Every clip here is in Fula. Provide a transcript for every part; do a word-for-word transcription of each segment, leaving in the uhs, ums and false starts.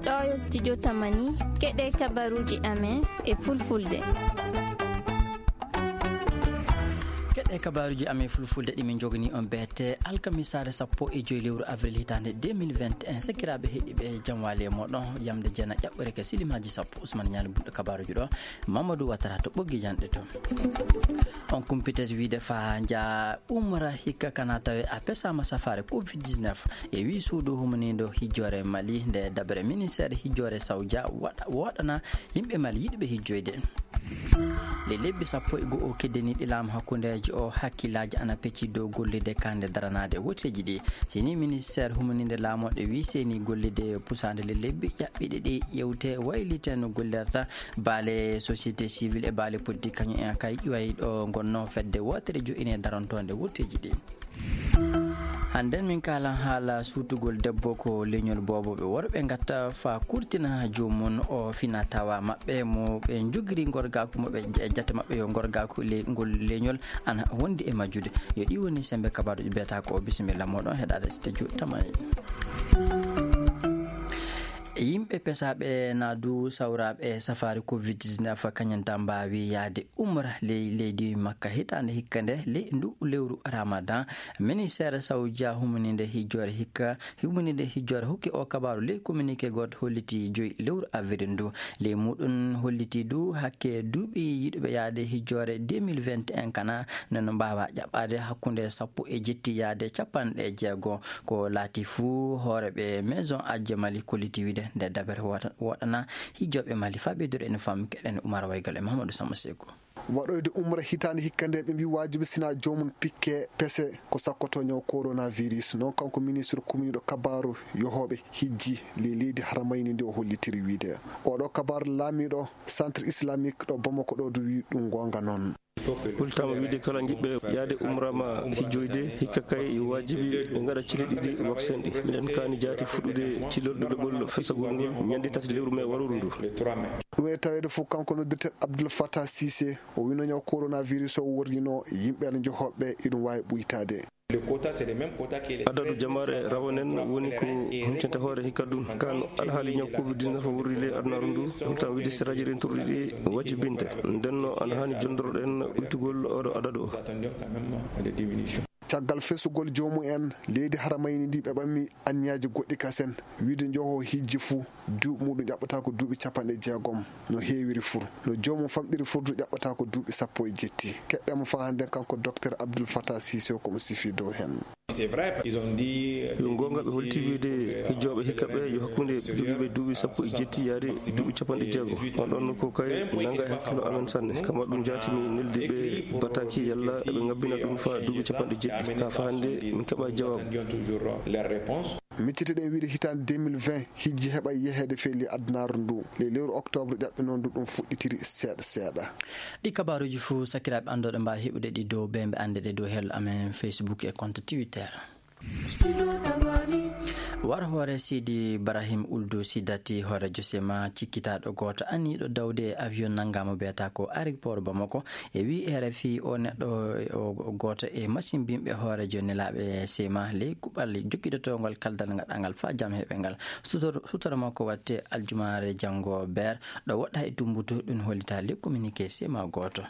Ɗo yo studio Tamani, keɗe kabaruuji amen e fulfulde. Keɗe kabaruuji amen fulfulde ɗi min njogani on beete alkamisaare sappo e joy lewru avril hitaande deux mille vingt et un. Sakiraaɓe heɗiiɓe, jam waali e mooɗon, yamde jeena ƴaɓɓore ka silimaaji sappo. Ousmane Ñaali bunɗo kabaruuji ɗo, Mamadou Ouattara to ɓoggi janɗe to. On kumpitet wiide fa nja umra hikka kana tawe a pesaama safaare covid dix-neuf. E wi suudu humaniindo hijjoore Mali nde daɓere ministeere hijjoore Sawja waɗa-, woɗana yimɓe Mali yiɗuɓe hijjoyde. Nde lebbi sappo e go'o keddaniiɗi laamu hakkundeejo o, hakkillaaji ana pecci dow gollirde kaande daranaade woteeji ɗi. Sini ministeere humaniinde laamoɗe wi seni gollirde pusaande le lebbi ƴaɓɓiɗi ɗi ƴewte waylite no gollirta baale société civile e baale politique kañum en kay ƴuway ɗo ngonno fedde wootere jo'ine darontoonde wotteeji ɗi. Hannden min kaalan haala suutugol debbo ko leñol boobo ɓe worɓe ngatta fa kurtina joomum o fina tawa maɓɓe mo ɓe njogiri ngorgaaku mo ɓe e jate maɓɓe yo ngorgaaku le-, ngol leñol ana wondi e majjude. Yo ɗi woni sembe kabaaruji beeta ko bisimilla moɗon heɗaade studio Tamani. Yimɓe pesaaɓe naa du sawraaɓe safaari covid dix-neuf kañum tan mbaawi yahde umra ley leydi Makka hitaande hikka nde ley ndu lewru Ramadan. Ministeere Sawja humaniinde hijjoore hikka, humaniinde hijjoore hokki o kabaaru ley communiqué gooto holliti joyi lewru avril ndu. Ley muɗum holliti du hakke duuɓi yiɗuɓe yahde hijjoore deux mille vingt et un kana nde no mbaawa ƴaɓɓaade hakkunde sappo e jetti yahde capanɗe jeego. Ko laati fuu, hooreeɓe Maison Aji Mali kolliti wiide nde dabere wota-, woɗana hijjooɓe Mali. Faa ɓeydude ene faami keɗen Umar Waygal e Mahamadou Samba Seku. Waɗoyde umra hitaande hikka nde, ɓe mbii waajibi sina joomum pikke pese ko sakkotoo ñaw coronavirus. Noon kanko ministre communiɗo kabaaru yohooɓe hijji ley leydi haramayni ndi o hollitiri wiide. Oɗo kabaaru laamiiɗo centre islamique ɗo Bamako ɗo du wii ɗum goonga noon. Hultaama wiide kala jiɗɓe yahde umra ma hijjoyde, hikka kay yo waajibi ɓe ngaɗa cili ɗiɗi vaccin ɗi. Miɗen kaani jaati fuɗɗude tilol ɗiɗaɓol fesagol ngol ñande tati lewru mee waruru ndu. Ɗum e taweede fof kanko noddirten Abdoul Fattah Cissé, o wino ñaw coronavirus o worrino yimɓe ala njohoɓe iɗum waawi ɓuytaade. Adadu jamaare rawanen woni ko huncanta hoore hikka ɗum. Kan alhaali ñaw covid dix-neuf o wurri ley adunaaru ndu, ɗum tan wiide siraaji rentorɗi ɗi wajibinte. Nden no ana haani jondoroɗen uytugol oɗo adadu o. Caggal fesugol joomum en, leydi haramayni ndi ɓe ɓammi anniyaaji goɗɗi kasen, wiide njoho hijji fuu, duuɓi muɗum ƴaɓɓata ko duuɓi capanɗe jeegom, no heewiri fur, no joomum famɗiri fur du ƴaɓɓata ko duuɓi sappo e jetti. Keɗɗen mo faa hannden kanko Docteur Abdoul Fattah Cissé ko mo sifii dow heen. Yo goonga ɓe holti wiide hijjooɓe hikka ɓe yo hakkunde jogiiɓe duuɓi sappo e jetti yaade duuɓi capanɗe jeego. On ɗon ko kay nannga e hakkilo amen sanne. Kama ɗum jaati mi neldi ɓe bataki yalla eɓe ngabbina ɗum faa duuɓi capanɗe jeɗɗi. Ka faa hannde min keɓa jawaabu. Miccitiɗen wiide hitaande deux mille vingt hijji heɓa yeheede fee ley adunaaru ndu. Ley lewru octobre ƴaɓɓinoo ndu ɗum fuɗɗitiri seeɗa seeɗa. Ɗi kabaaruuji fuu sakiraaɓe anndooɓe mbaawi heɓude ɗi dow beembe annde ɗe dow hello amen Facebook e compte Twitter. War hoore Sidi Ibrahim Uldu Sidati hooreejo sema cikkitaaɗo gooto aniiɗo dawde e avion nanngaama biyata ko aéroport Bamako. E wi R F I o neɗɗo o gooto e masimbinɓe hooreejo nelaaɓe sema ley kuɓal jokkidotoongol kaldal ngaɗangal faa jam heɓe ngal. Sutor-, sutora makko watte aljumaare janngo beer ɗo woɗɗa e tumbutu ɗum hollita ley communiqué sema gooto.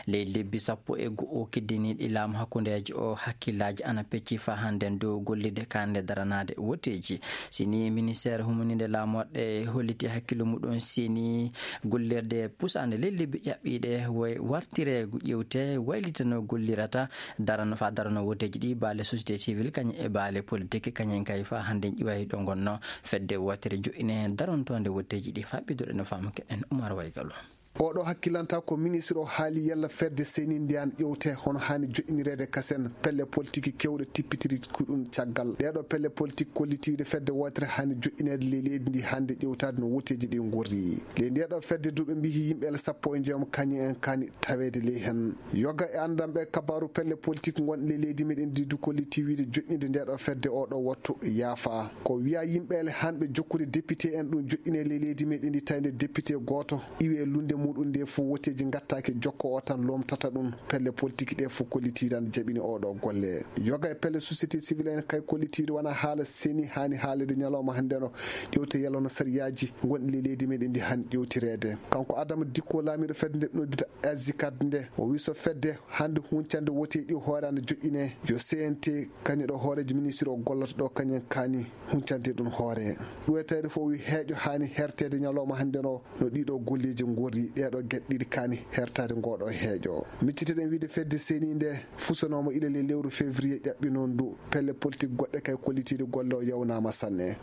Ley lebbi sappo e go'o kiddiniiɗi laamu hakkundeejo o hakkillaaji ana pecci faa hannden dow gollirde kaande daranaade woteeji. Sini ministeer humaniinde laamoɗe holliti hakkillo muɗum sini gollirde pusaande ley lebbi ƴaɓɓiiɗe way wartire ƴewte waylitano gollirata darano faa darano woteeji ɗi baale société civile kañum e baale politique kañum kay faa hannden ƴiway ɗo ngonno fedde wootere jo'ine darontoonde woteeji ɗi faa ɓeyduɗo no faamu keɗen Umar Waygalo. Oɗo hakkilanta ko ministre o haali yalla fedde seni ndiyan ƴewte hono haani joƴƴinireede kasen pelle politique kewɗe tippitiri ko ɗum caggal. Ɗeeɗo pelle politique kollitiiɗe fedde wootere haani joƴƴineede ley leydi ndi hannde ƴewtaade no woteeji ɗi ngorri. Ley ndeeɗo fedde du ɓe mbiyi yimɓe ele sappo e joom kañum en kaani taweede ley hen. Yoga e anndanɓe kabaaru pelle politique ngonɗe ley leydi meɗen ndi du kolliti wiide joƴƴinde ndeeɗo fedde oɗo wattu yaafa. Ko wiya yimɓe ele hanɓe jokkude député en ɗum joƴƴine ley leydi meɗen ndi tawi nde député gooto iwi e lunde muɗum nde fof woteeji ngattaaki, jokko o tan lomtata ɗum. Pelle politique ɗe fof kollitiiɗi ana jaɓini oɗo golle. Yoga e pelle société civile en kay kollitiiɗi wona haala seni haani haalede ñalawma hannde no ƴewte yalano sariyaaji gonɗi le leydi meɗen ndi han ƴewtireede. Kanko Adama Dikko, laamiiɗo fedde nde noddita Azicad nde, o wi so fedde hannde huncande woteeji ɗi hoore ana joƴƴine, yo C N T kañum ɗo hooreejo ministre o gollata ɗo kañum kaani huncande ɗum hoore. Ɗuwetede fof wi heeƴo haani hertede ñalawma hannde no, no ɗiɗo golleeji ngorri, ɗeɗo geɗe ɗiɗi kaani hertade ngoɗo heeƴo. Micciteɗen wiide fedde seni nde fusanooma ila le lewru février ƴaɓɓi noon ndu, pelle politique goɗɗe kay kollitiiɗe golle o yawnaama sanne.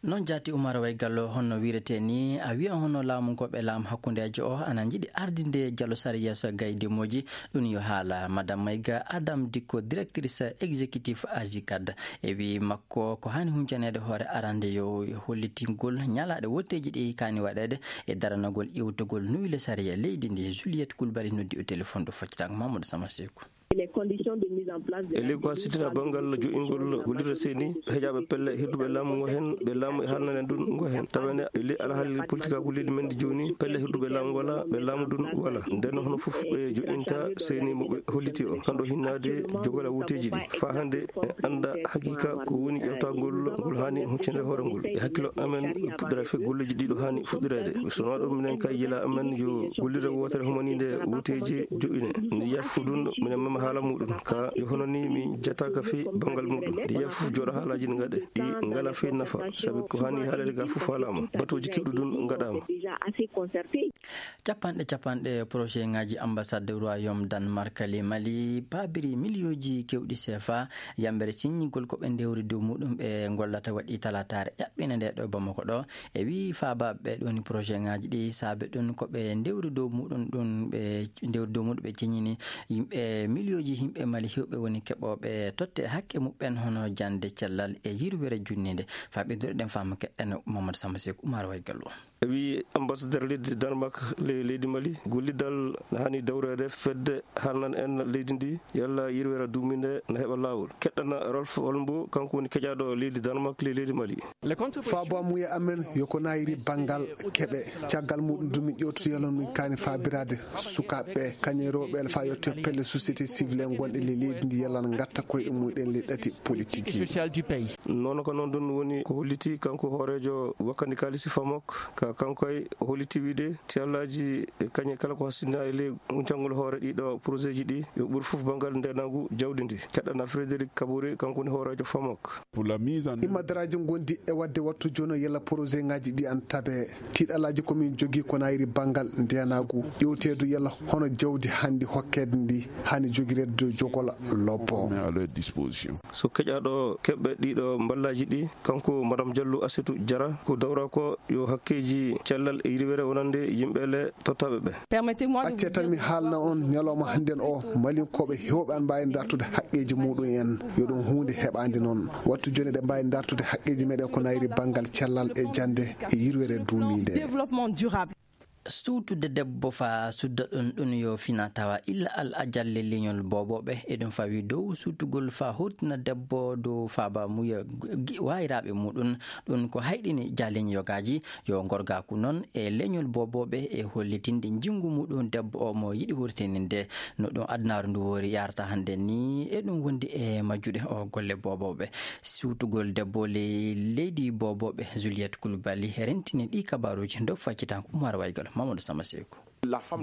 Noon jaati Umar Waygallo, honno wiirete ni, a wiya hono laamu ngo ɓe laamu hakkundeejo o ana njiɗi ardinde jalo sariya so gaydemooji, ɗum yo haala. Madame Mayga, Adam Dikko, directrice exécutif Azicad, e wi makko ko hani huncaneede hoore arande yo hollitingol ñalaaɗe woteeji ɗi kaani waɗeede e daranagol iwtogol nuyle sariya leydi ndi. Juliette Coulibaly noddi o téléphone ɗo faccitaango Mamadou Sama Seku. E ley ko a sittina banngal joƴingol gollirde seni, heƴaaɓe pelle hirduɓe laamu ngo heen, ɓe laamu e haalnane ɗum ngo heen. Tawa ene e ley alhaali politikaagu leydi men ndi jooni, pelle hirduɓe laamu wala, ɓe laamu ɗum wala. Nden hono fof ɓe joƴinta seni mo ɓe holliti o. Kanɗo hinnaade jogala woteeji ɗi. Faa hannde en annda haqiqa ko woni ƴeewtagol ngol haani huccinde hoore ngol. E hakkilo amen puɗɗora fe golleeji ɗiɗo haani fuɗɗireede. So wonaa ɗum minen kay yila amen yo gollirde wootere humaniinde woteeji joƴƴine. Ndi yiyata fof ɗum, minen mema haala muɗum. Ka yo hono ni mi jataaka fii banngal muɗum. Ndi yiyata fof jooɗo haalaaji ɗi ngaɗe. Ɗi ngala fii nafa. Sabi ko haani haalede ga fof haalaama. Batuuji keewɗi ɗum ngaɗaama. Capanɗe capanɗe projet ngaji ambassade Royaume Danemark le Mali paabiri miliyonji kewɗi C F A yambere siññigol ko ɓe ndewri dow muɗum ɓe gollata waɗi talataare ƴaɓɓinde nde ɗo Bamako ɗo. E wi faabaaɓe ɓe ɗon projet ngaji ɗi saabe ɗum ko ɓe ndewri dow muɗum ɗum ɓe ndewri dow muɗum ɓe ceñini yimɓe miliyoji yimɓe Mali hewɓe woni keɓooɓe totte hakke muɓɓen hono jande cellal e yirwere junninde. Faa ɓeydude ɗen faamu keɗɗen Mamadou Samba Seku Umar Waygallo. E wi ambassadeur leydi Danemark le leydi Mali, gollidal na hani dawreede fedde haalnan en leydi ndi yalla yirwere duuminde na heɓa laawol. Keɗɗana Rolf Holmbo, kanko woni keƴaaɗo leydi Danemark le leydi Mali. Faabaamuya amen yo ko nayiri banngal keɓe. Caggal muɗum dumi ƴewtude yalon min kaani faabiraade sukaaɓe ɓe, kañum e rewɓe ɓe faa yetto pelle société civile en gonɗe le leydi ndi yalana ngatta koyɗe mumen le ɗati politique. Noon ko noon ɗum woni ko holliti kanko hooreejo wakkandi kaalisi Famok, ka kanko ay o holliti wiide tiyallaaji e kañe kala ko hasindinaa e ley jangol hoore ɗiɗo projet ji ɗi yo ɓur fof banngal ndeenaagu jawdi ndi. Keɗɗana Frédéric Kabore, kanko woni hooreejo Famok. Immadaraaji ngondi e waɗde wattu jooni o yalla projet ngaji ɗi an tabe. Tiiɗalaaji ko min jogii ko nayiri banngal ndeenaagu, ƴewteedu yalla hono jawdi hannde hokkeede ndi hani jogireede dow jogola lobbo. So keƴaaɗo keɓɓe ɗiɗo mballaaji ɗi, kanko Madame Diallo Assetou Diarra, ko dawra ko yo hakkeeji cellal e yirwere wonande yimɓe le tottaaɓe ɓe. Accee tan mi haalna on, ñalawma hannden o, Malinkooɓe heewɓe ana mbaawi dartude haqqeeji muɗum en. Yo ɗum huunde heɓaande noon. Wattu jooni eɗen mbaawi dartude haqqeeji meɗen ko nayri banngal cellal e jannde e yirwere duumiinde. Suutude debbo faa sudda ɗum, ɗum yo fina tawa illa al ajalle leñol boobooɓe. Eɗum fawi dow suutugol faa hottina debbo dow faaba muya gi-, wayraaɓe muɗum. Ɗum ko hayɗini jaaleñ yogaaji. Yo gorgaaku noon e leñol boobooɓe e hollitinde njinngu muɗum debbo o mo yiɗi hurtininde. No ɗum adunaaru ndu wori yarata hannde ni, eɗum wondi e majjude o golle boobooɓe. Suutugol debbo ley leydi boobooɓe, Juliette Coulibaly rentini ɗi kabaaruuji nder faccitanko Umar Waygal, Mamadou Samba Seku.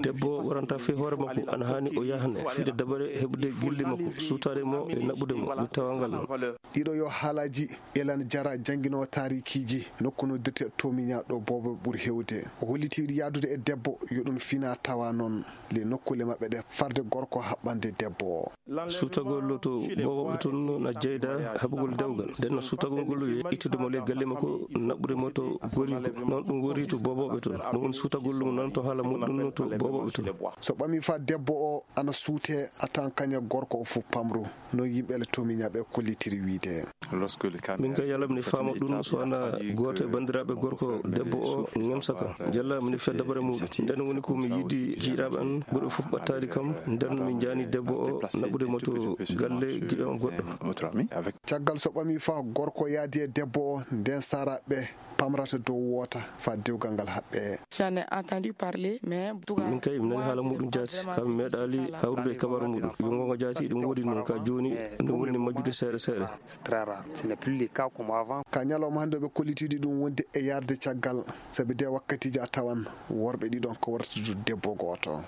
Debbo waranta fii hoore makko, ana haani o yahne fiide dabare heɓude gilli makko, suutaade mo e naɓude mo, mi tawangal mo. Ɗiɗo yo haalaaji Elan Jara, jannginoowo taarikiiji nokku noddirte Tomiña ɗo boobo ɓuri heewde. O holliti yiɗi yahdude e debbo, yo ɗum fina tawa noon le nokkuule maɓɓe ɗe farde gorko haɓɓande debbo o. Suutagol to boobooɓe toon na jeyda haɓugol dewgal. Nden no suutagol ngol yo ittude mo le galle makko, naɓude mo to goriiko. Noon ɗum wori to boobooɓe toon. Ɗum woni suutagol mo nan to haala muɗum to boobooɓe toon. So ɓami faa debbo o ana suute a tan kaña gorko o fof pamru. No yimɓe le Tomiña ɓe kollitiri wiide. Min ka yalla mi faama ɗum so ana gooto e banndiraaɓe gorko debbo o ŋemsa kam. Jalla mi fiya dabare muɗum. Nden woni ko mi yiɗi jiiraaɓe an ɓurɓe fof ɓattaade kam. Nden mi jaani debbo o naɓude mo to galle giɗo am goɗɗo. Caggal so ɓami faa gorko yaadi e debbo o, nden saaraaɓe Pamrata dow woota faa dewgal ngal haɓɓee. J'en ai entendu parler, mais min kay mi nani haala muɗum jaati, kam mi meeɗaali hawrude e kabaaru muɗum. Yo ngonga jaati, ɗum woodi noon ka jooni, ɗum woni majjude seeɗa seeɗa. Ka ñalawma hannde ɓe kollitiiɗi ɗum wonde e yarde caggal, sabi de wakkatiiji a tawan worɓe ɗiɗon ko wartude debbo gooto.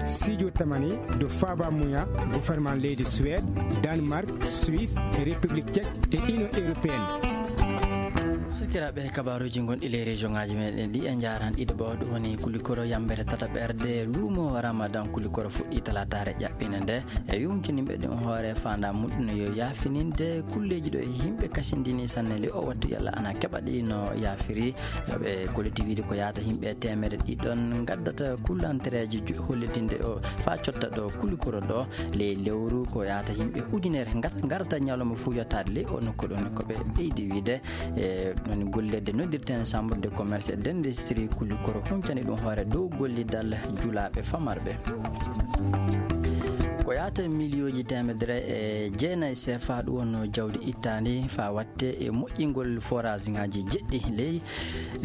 Sijo tamani do faba muya gouvernement leydi Suède, Danemark, Suisse, République Tchèque et Union Européenne. Sakiraaɓe, kabaaruuji gonɗi ley région ŋaaji meɗen ɗi e njaaran ɗiɗo ɓo, ɗum woni kulikoro yambere tata ɓerde luumo Ramadan. Kulikoro fuɗɗi talaataare ƴaɓɓine nde e yonkinimɓe ɗum hoore faanda muɗum yo yaafininde kulleeji ɗo e yimɓe kasindini sanne le o wattu yalla ana keɓa ɗi no yaafiri. Ɓe kolliti wiide ko yaata yimɓe teemere ɗiɗon ngaddata kullantereeji ju-, hollitinde o faa cotta ɗo kulikoro ɗo ley lewru, ko yaata yimɓe ujunere ngat-, ngarta ñalawma fuu yottaade ley o nokku ɗon. Ko ɓe ɓeydi wiide, e, ɗon gollirde noddirten Chambre de Commerce et d'Industrie kulikoro huncani ɗum hoore dow gollidal julaaɓe famarɓe. Ko yaata miliyooji teemedere e jeenayi sefa ɗum wonno jawdi ittaandi faa watte e moƴƴingol forage ŋaaji jeɗɗi ley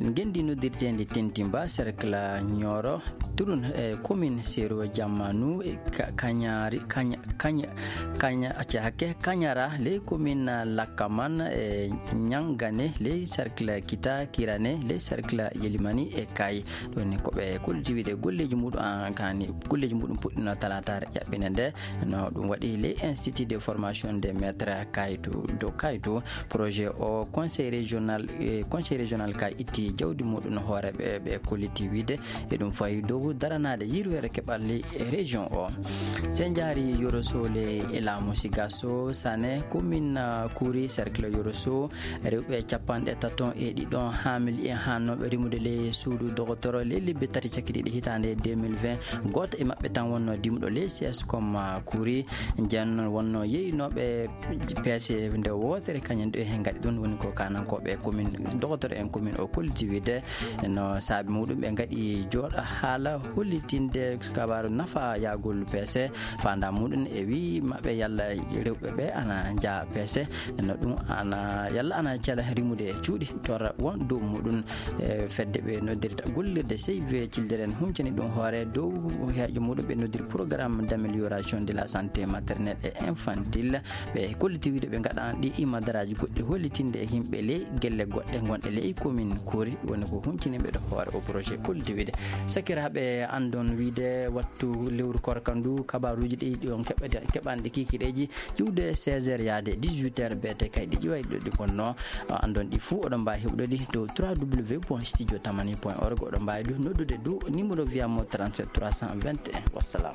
ngenndi noddirteendi Tentimba, cercle Nioro, Turun, e commune Sero Jammanu, e Ka-, Kañari, Kaña-, Kaña-, Kaña-, acca hakke, Kañara, ley commune Lakaman, e Ñangane, ley cercle Kita Kirane, ley cercle Yelimani e Kay. Ɗum ni ko ɓe kolliti wiide golleeji muɗum an kani, golleeji muɗum puɗɗino talaataare ƴaɓɓine nde. No ɗum waɗi ley Institut de Formation des Maîtres Kaytu, do Kaytu. Projet o conseil régional, eh, conseil régional ka itti jawdi muɗum no hoore ɓe, ɓe kolliti wiide e ɗum fayi dow daranaade yirwere keɓalli e région o. Se njaari Yoro Sole e laamu Sigaso Sane, commune, ah, Kuri, cercle Yoro So, rewɓe capanɗe taton e ɗiɗon haamili e haannooɓe rimude ley suudu dogotoro ley lebbi tati cakkiɗiɗi hitaande deux mille vingt. Gooto e maɓɓe tan wonno dimuɗo ley C S comme, ah, Kuri. Nden wonno yeynooɓe peese nde wootere, kañum ɗo heen ngaɗi ɗum, woni ko kaanankooɓe commune, dogotoro en commune o kolliti wiide no saabi muɗum ɓe ngaɗi jooɗa haala hollitinde kabaaru nafa yaagol peese, faanda muɗum e wii maɓɓe yalla rewɓe ɓe ana njaa peese, no ɗum ana yalla ana cela rimude cuuɗi torra won dow muɗum. E fedde ɓe noddirta gollirde C V Children huncani ɗum hoore dow heejo muɗum ɓe noddiri programme d'amélioration de la santé maternelle et infantile. Ɓe kolliti wiide ɓe ngaɗan ɗi imadaraaji goɗɗi hollitinde e yimɓe ley gelle goɗɗe gonɗe ley commune Kori, woni ko huncini ɓe ɗo hoore o projet kolliti wiide. Sakiraaɓe, anndon wiide wattu lewru korka ndu, kabaaruuji ɗi ɗon keɓete-, keɓanɗe kikiɗeeji iwde seize heures yaade dix-huit heures, beete kay ɗi ƴiway ɗo ɗi ngonno. Anndon ɗi fuu oɗon mbaawi heɓude ɗi dow trois W point studio tamani point org. Oɗon mbaawi du noddude dow numéro via mo trente-sept trois cent vingt et un. Wassalam.